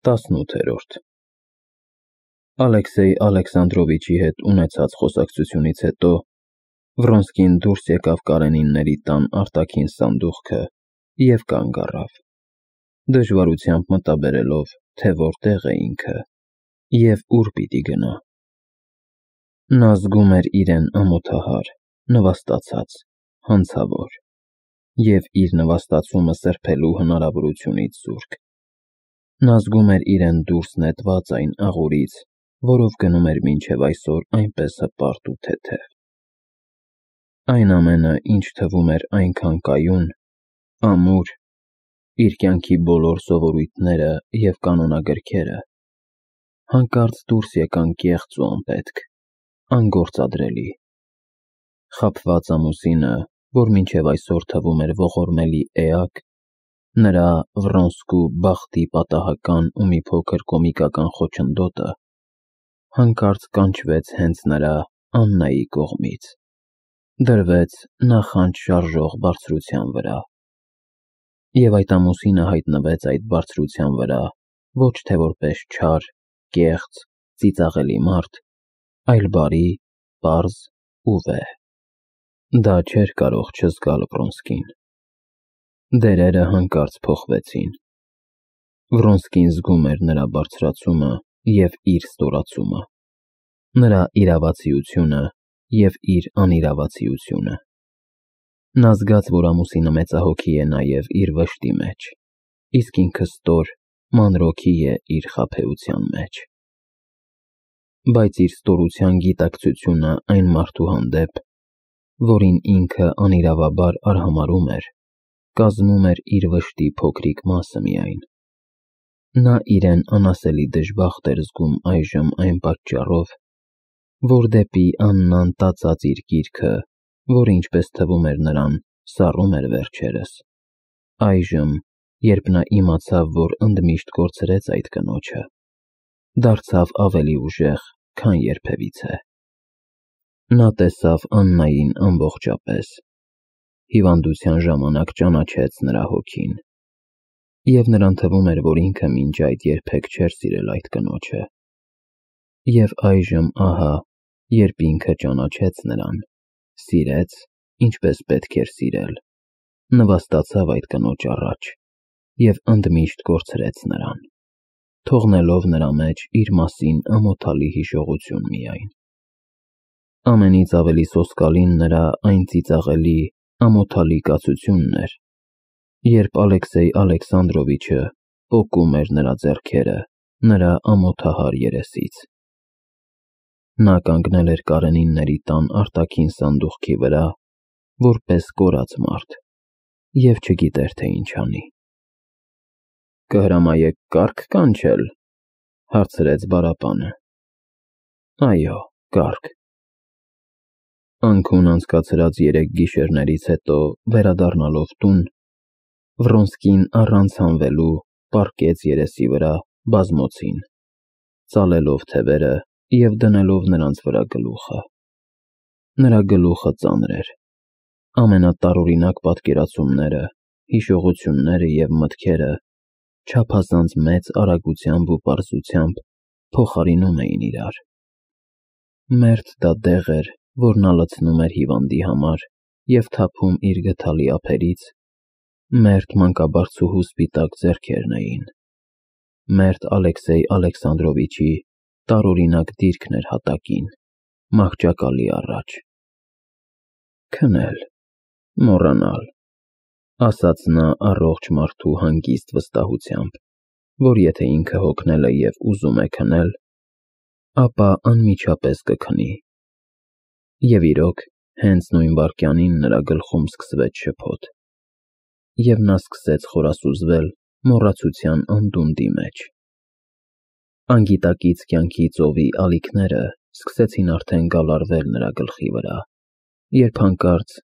18-րդ Ալեքսեյ Ալեքսանդրովիչի հետ ունեցած խոսակցությունից հետո Վրոնսկին դուրս եկավ Կարենինների տան արտաքին սանդուղքը և կանգ առավ, դժվարությամբ մտաբերելով, թե որտեղ է ինքը և ուր պիտի գնա։ Նա զգում էր իրեն ամոթահար, նվաստացած, հանցավոր և իր նվաստացումը սրբելու հնարավորությունից զուրկ։ Նա զգում էր իրեն դուրս նետված այն աղուրից, որով գնում էր մինչև այսօր այնպես հպարտ ու թեթև։ Այն ամենը, ինչ թվում էր այնքան կայուն, ամուր, իր կյանքի բոլոր սովորույթները և կանոնագրքերը, հանկարծ դուրս եկան կեղծ ու անպետք, անգործադրելի։ Խաբված ամուսինը, որ մինչև այսօր թվում էր ողորմելի էակ, նրա Վրոնսկու բախտի պատահական ու մի փոքր կոմիկական խոչընդոտը, հանկարծ կանչվեց հենց նրա Աննայի կողմից, դրվեց նախանձ շարժող բարձրության վրա։ Եվ այդ ամուսինը հայտնվեց այդ բարձրության վրա ոչ թե որպես չար, կեղծ, ծիծաղելի մարդ, այլ բարի, պարզ ու վեհ։ Դա չէր կարող չզգալ Վրոնսկին։ Դերերը հանկարծ փոխվեցին։ Վրոնսկին զգում էր նրա բարձրացումը և իր ստորացումը, նրա իրավացիությունը և իր անիրավացիությունը։ Նա զգաց, որ ամուսինը մեծահոգի է նաև իր վշտի մեջ, իսկ ինքը ստոր, մանրոգի է իր խաբեության մեջ։ Բայց իր ստորության գիտակցությունը այն մարդու հանդեպ, որին ինքը անիրավաբար արհամարհում էր, կազմում էր իր վշտի փոքրիկ մասը միայն։ Նա իրեն անասելի դժբախտ էր զգում այժմ այն պատճառով, որ դեպի Աննան տածած իր գիրքը, որը ինչպես թվում էր նրան, սառում էր վերջերս, այժմ, երբ նա իմացավ, որ ընդմիշտ կորցրեց այդ կնոջը, դարձավ ավելի ուժեղ, քան երբևիցե։ Նա տեսավ Աննային ամբողջապես, հիվանդության ժամանակ ճանաչեց նրա հոգին, և նրան թվում էր, որ ինքը մինչ այդ երբեք չէր սիրել այդ կնոջը։ Եվ այժմ ահա, երբ ինքը ճանաչեց նրան, սիրեց, ինչպես պետք էր սիրել, նվաստացավ այդ կնոջ առաջ և ընդմիշտ կորցրեց նրան, թողնելով նրա մեջ իր մասին ամոթալի հիշողություն միայն։ Ամենից ավելի սոսկալին նրա այն ծիծաղելի, ամոթալի կացությունն էր, երբ Ալեքսեյ Ալեքսանդրովիչը պոկում էր նրա ձեռքերը նրա ամոթահար երեսից։ Նա կանգնել էր Կարենինների տան արտաքին սանդուղքի վրա, որպես կորած մարդ, և չգիտեր, թե ինչ անի։ «Կհրամայեք կառք կանչել», հարցրեց Բարապանը։ «Այո, կառք»։ Անքուն անցկացրած 3 գիշերներից հետո վերադառնալով տուն, Վրոնսկին առանց հանվելու պառկեց երեսի վրա բազմոցին, ծալելով թևերը և դնելով նրանց վրա գլուխը։ Նրա գլուխը ծանր էր։ Ամենատարօրինակ պատկերացումները, հիշողությունները և մտքերը չափազանց մեծ արագությամբ ու պարզությամբ փոխարինում էին իրար։ Մերթ դա դեղ էր, որ նա լցնում էր հիվանդի համար և թափում իր գդալի ափերից, մերթ մանկաբարձուհու սպիտակ ձեռքերն էին, մերթ Ալեքսեյ Ալեքսանդրովիչի տարօրինակ դիրքն էր հատակին, մահճակալի առաջ։ «Քնել, մոռանալ», ասաց նա առողջ մարդու հանգիստ վստահությամբ, որ եթե ինքը հոգնել է և ուզում է քնել, ապա անմիջապես կքնի։ Եվ իրոք, հենց նույն վայրկյանին նրա գլխում սկսվեց շփոթ, և նա սկսեց խորասուզվել մոռացության անդունդի մեջ։ Անգիտակից կյանքի ծովի ալիքները սկսեցին արդեն գալարվել նրա գլխի վրա, երբ հանկարծ,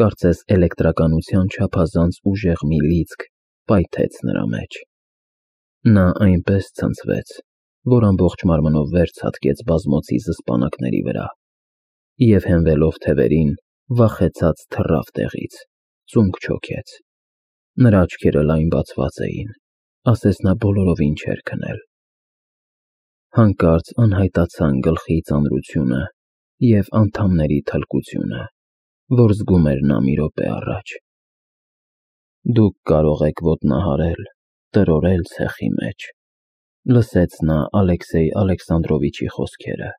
կարծես էլեկտրականության չափազանց ուժեղ մի լիցք պայթեց նրա մեջ։ Նա այնպես ցնցվեց, որ ամբողջ մարմնով վեր ցատկեց բազմոցի զսպանակների վրա և հենվելով թևերին, վախեցած թռավ տեղից, ծունկ չոքեց։ Նրա աչքերը լայն բացված էին, ասես նա բոլորովին չէր քնել։ Հանկարծ անհայտացան գլխի ծանրությունը և անդամների թլկությունը, որ զգում էր նա մի րոպե առաջ։ Դուք կարող եք ոտնահարել, տրորել ցեխի մեջ, լսեց նա Ալեքսեյ Ալեքսանդրովիչի խոսքերը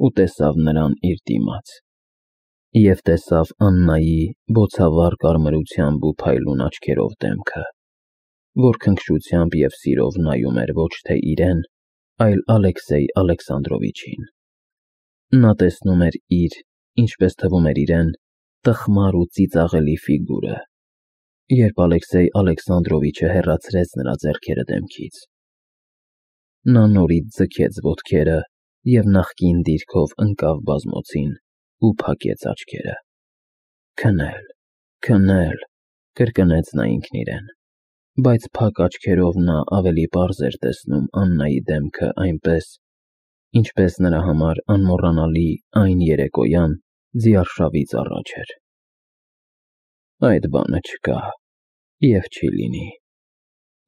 ու տեսավ նրան իր դիմաց։ Եվ տեսավ Աննայի բոցավառ կարմրությամբ ու փայլուն աչքերով դեմքը, որ քնքշությամբ և սիրով նայում էր ոչ թե իրեն, այլ Ալեքսեյ Ալեքսանդրովիչին։ Նա տեսնում էր իր, ինչպես թվում էր իրեն, տխմար ու ծիծաղելի ֆիգուրը, երբ Ալեքսեյ Ալեքսանդրովիչը հեռացրեց նրա ձեռքերը դեմքից։ Նա նորից ձգեց ոտքերը և նախկին դիրքով ընկավ բազմոցին ու փակեց աչքերը։ Քնել, քնել, կրկնեց նա ինքն իրեն, բայց փակ աչքերով նա ավելի պարզ էր տեսնում Աննայի դեմքը այնպես, ինչպես նրա համար անմոռանալի այն երեկոյան ձիարշավից առաջ էր։ Այդ բանը չկա և չի լինի,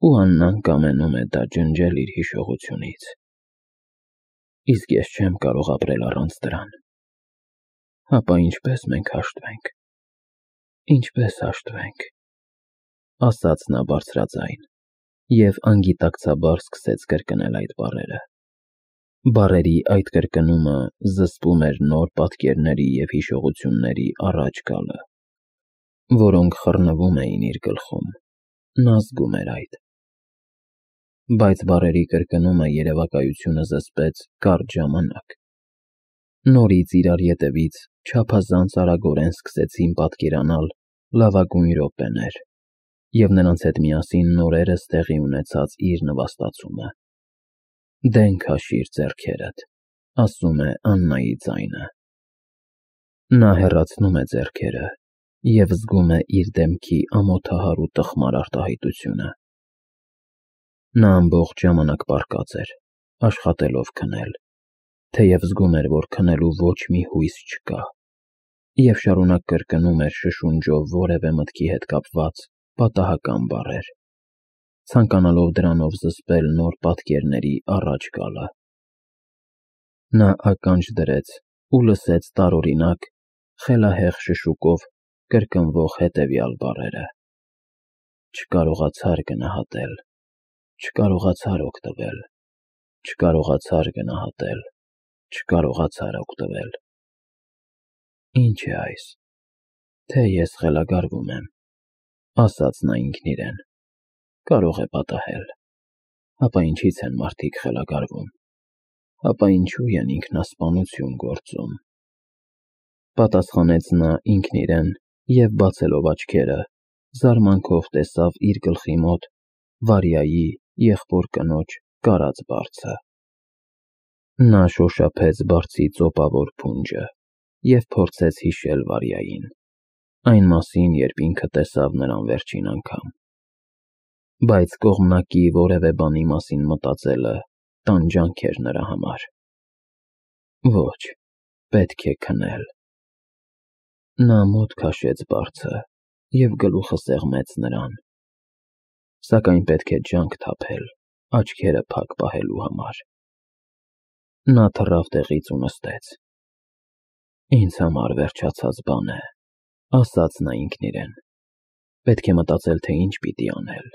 ու Աննան կամենում է դա ջնջել իր հիշողությունից։ Իսկ ես չեմ կարող ապրել առանց դրան։ Հապա ինչպես մենք հաշտվենք, ինչպես հաշտվենք, ասաց նա բարձրաձայն և անգիտակցաբար սկսեց կրկնել այդ բառերը։ Բառերի այդ կրկնումը զսպում էր նոր պատկերների և հիշողությունների առաջ գալը, որոնք խռնվում էին իր գլխում, նա զգում էր այդ։ Բայց բառերի կրկնումը երևակայությունը զսպեց կարճ ժամանակ։ Նորից իրար ետևից չափազանց արագորեն սկսեցին պատկերանալ լավագույն րոպեներ և նրանց հետ միասին նորերս տեղի ունեցած իր նվաստացումը։ Դեն քաշիր ձեռքերդ, ասում է Աննայի ձայնը։ Նա հեռացնում է ձեռքերը և զգում է իր դեմքի ամոթահար ու տխմար արտահայտությունը։ Նա ամբողջ ժամանակ պառկած էր, աշխատելով քնել, թեև զգում էր, որ քնելու ոչ մի հույս չկա, և շարունակ կրկնում էր շշունջով որևէ մտքի հետ կապված պատահական բառեր, ցանկանալով դրանով զսպել նոր պատկերների առաջ գալը։ Նա ականջ դրեց ու լսեց տարօրինակ, խելահեղ շշուկով կրկնվող հետևյալ բառերը. չկարողացար գնահատել, չկարողացար օգտվել, չկարողացար գնահատել, չկարողացար օգտվել։ Ինչ է այս, թե ես խելագարվում եմ, ասաց նա ինքն իրեն, կարող է պատահել, հապա ինչի՞ց են մարդիկ խելագարվում, հապա ինչու են ինքնասպանություն գործում։ Պատասխանեց նա ինքն իրեն և բացելով աչքերը, զարմանքով տեսավ իր գլխի մոտ Վարյայի եղբոր կնոջ կարած բարձը։ Նա շոշափեց բարձի ծոպավոր փունջը և փորձեց հիշել Վարյային, այն մասին, երբ ինքը տեսավ նրան վերջին անգամ։ Բայց կողմնակի որևէ բանի մասին մտածելը տանջանք էր նրա համար։ Ոչ, պետք է քնել։ Նա մոտ քաշեց բարձը և գլուխը սեղմեց նրան, սակայն պետք է ջանք թափել աչքերը փակ պահելու համար։ Նա թռավ տեղից ու նստեց։ Ինձ համար վերջացած բան է, ասաց նա ինքն իրեն, պետք է մտածել, թե ինչ պիտի անել,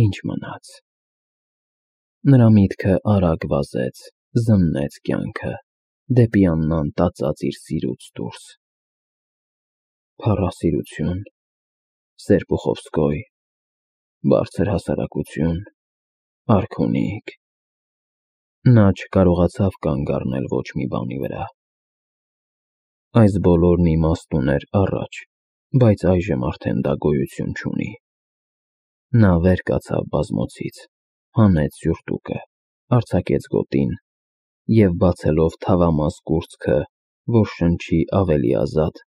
ինչ մնաց։ Նրա միտքը արագ վազեց, զննեց կյանքը, դեպի Աննան տածած իր սիրուց դուրս։ Փառասիրություն, Սերպուխովսկոյ, բարձր հասարակություն, արքունիք։ Նա չկարողացավ կանգ առնել ոչ մի բանի վրա։ Այս բոլորն իմաստ ուներ առաջ, բայց այժմ արդեն դա գոյություն չունի։ Նա վեր կացավ բազմոցից, հանեց սյուրտուկը, արձակեց գոտին և բացելով թավամաս կուրծքը, որ շնչի ավելի ազատ,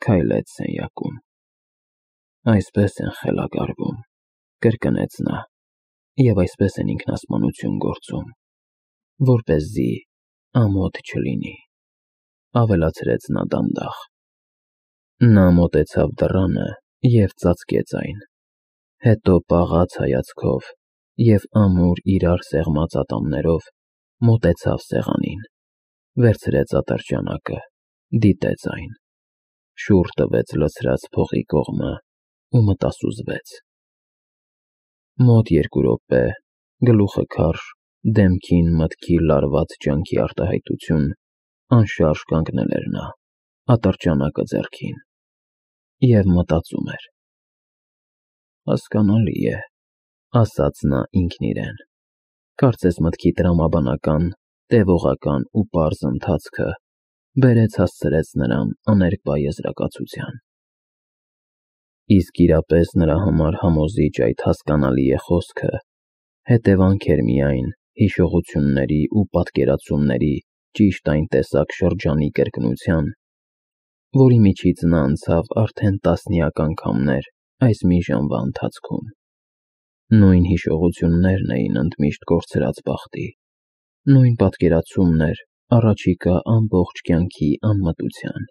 քայլեց սենյակում։ Այսպես են խելագարվում, կրկնեց նա, և այսպես են ինքնասպանություն գործում, որպեսզի ամոթ չլինի, ավելացրեց նա դանդաղ։ Նա մոտեցավ դռանը և ծածկեց այն, հետո պաղաց հայացքով և ամուր իրար սեղմած ատամներով մոտեցավ սեղանին, վերցրեց ատրճանակը, դիտեց այն, շուռ տվեց լցրած փողի կողմը ու մտասուզվեց։ Մոտ 2 րոպե, գլուխը քարշ, դեմքին մտքի լարված ջանքի արտահայտություն, անշարժ կանգնել էր նա, ատրճանակը ձեռքին, և մտածում էր։ Հասկանալի է, ասաց նա ինքն իրեն, կարծես մտքի տրամաբանական, տևողական ու պարզ ընթացքը բերեց հասցրեց նրան աներկբա եզրակացության։ Իսկ իրապես նրա համար համոզիչ այդ հասկանալի է խոսքը հետևանք էր միայն հիշողությունների ու պատկերացումների ճիշտ այն տեսակ շրջանի կրկնության, որի միջից նա անցավ արդեն տասնյակ անգամներ այս մի ժամվա ընթացքում։ Նույն հիշողություններն էին ընդմիշտ կորցրած բախտի, նույն պատկերացումն էր առաջիկա ամբողջ կյանքի անմտության,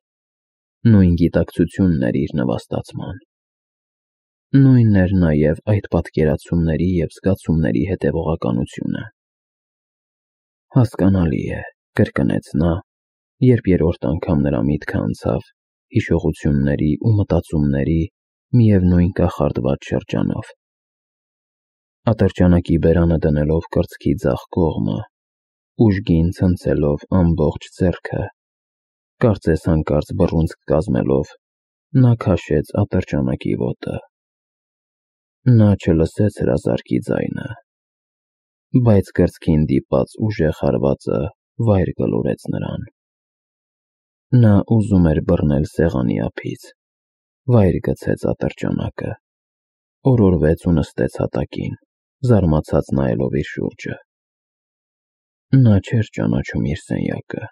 նույն գիտակցությունն էր իր նվաստացման։ Նույնն էր նաև այդ պատկերացումների և զգացումների հետևողականությունը։ Հասկանալի է, կրկնեց նա, երբ երրորդ անգամ նրա միտքը անցավ հիշողությունների ու մտածումների միևնույն կախարդված շրջանով։ Ատրճանակի բերանը դնելով կրծքի ձախ կողմը, ուժգին ցնցելով ամբողջ ձեռքը, կարծես հանկարծ բռունցք կազմելով, նա քաշեց ատրճանակի ոտը։ Նա չլսեց հրազարկի ձայնը, բայց կրծքին դիպած ուժեղ հարվածը վայր գլորեց նրան։ Նա ուզում էր բռնել սեղանի ափից, վայր գցեց ատրճանակը, օրորվեց ու նստեց հատակին, զարմացած նայելով իր շուրջը։ Նա չէր ճանաչում իր սենյակը,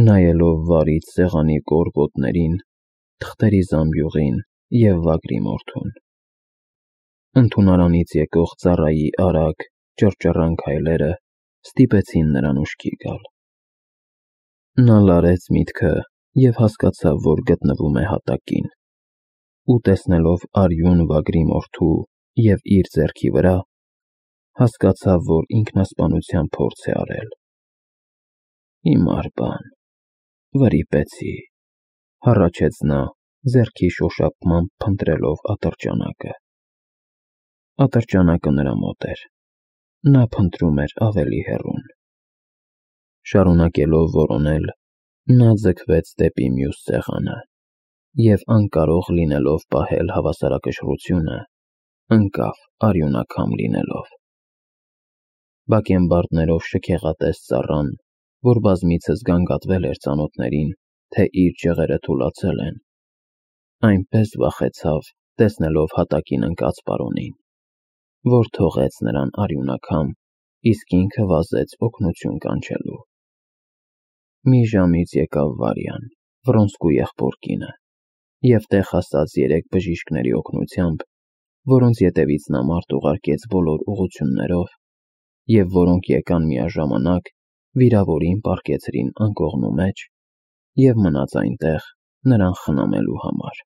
նայելով վարից սեղանի կողոպոտներին, թղթերի զամբյուղին և վագրի մորթուն։ Ընդունարանից եկող ծառայի արագ, ճռճռան քայլերը ստիպեցին նրան ուշքի գալ։ Նա լարեց միտքը և հասկացավ, որ գտնվում է հատակին, ու տեսնելով արյուն վագրի մորթու և իր ձեռքի վրա, հասկացավ, որ ինքնասպանության փորձ է արել։ Հիմար բան, վրիպեցի, հառաչեց նա, ձեռքի շոշափմամբ փնտրելով ատրճանակը։ Ատրճանակը նրա մոտ էր, նա փնտրում էր ավելի հեռուն։ Շարունակելով որոնել, նա ձգվեց դեպի մյուս սեղանը և անկարող լինելով պահել հավասարակշռությունը, ընկավ արյունակամ լինելով։ Բակենբարդներով շքեղատես ծառան, որ բազմիցս գանգատվել էր ծանոթներին, թե իր ջղերը թուլացել են, այնպես վախեցավ, տեսնելով հատակին ընկած պարոնին, որ թողեց նրան արյունակամ, իսկ ինքը վազեց օգնություն կանչելու։ Մի ժամից եկավ Վարյան, Վրոնսկու եղբոր կինը, և տեղ հասած 3 բժիշկների օգնությամբ, որոնց ետևից նա մարդ ուղարկեց բոլոր ուղղություններով, և որոնք եկան միաժամանակ, վիրավորին պառկեցրին անկողնու մեջ և մնաց այնտեղ նրան խնամելու համար։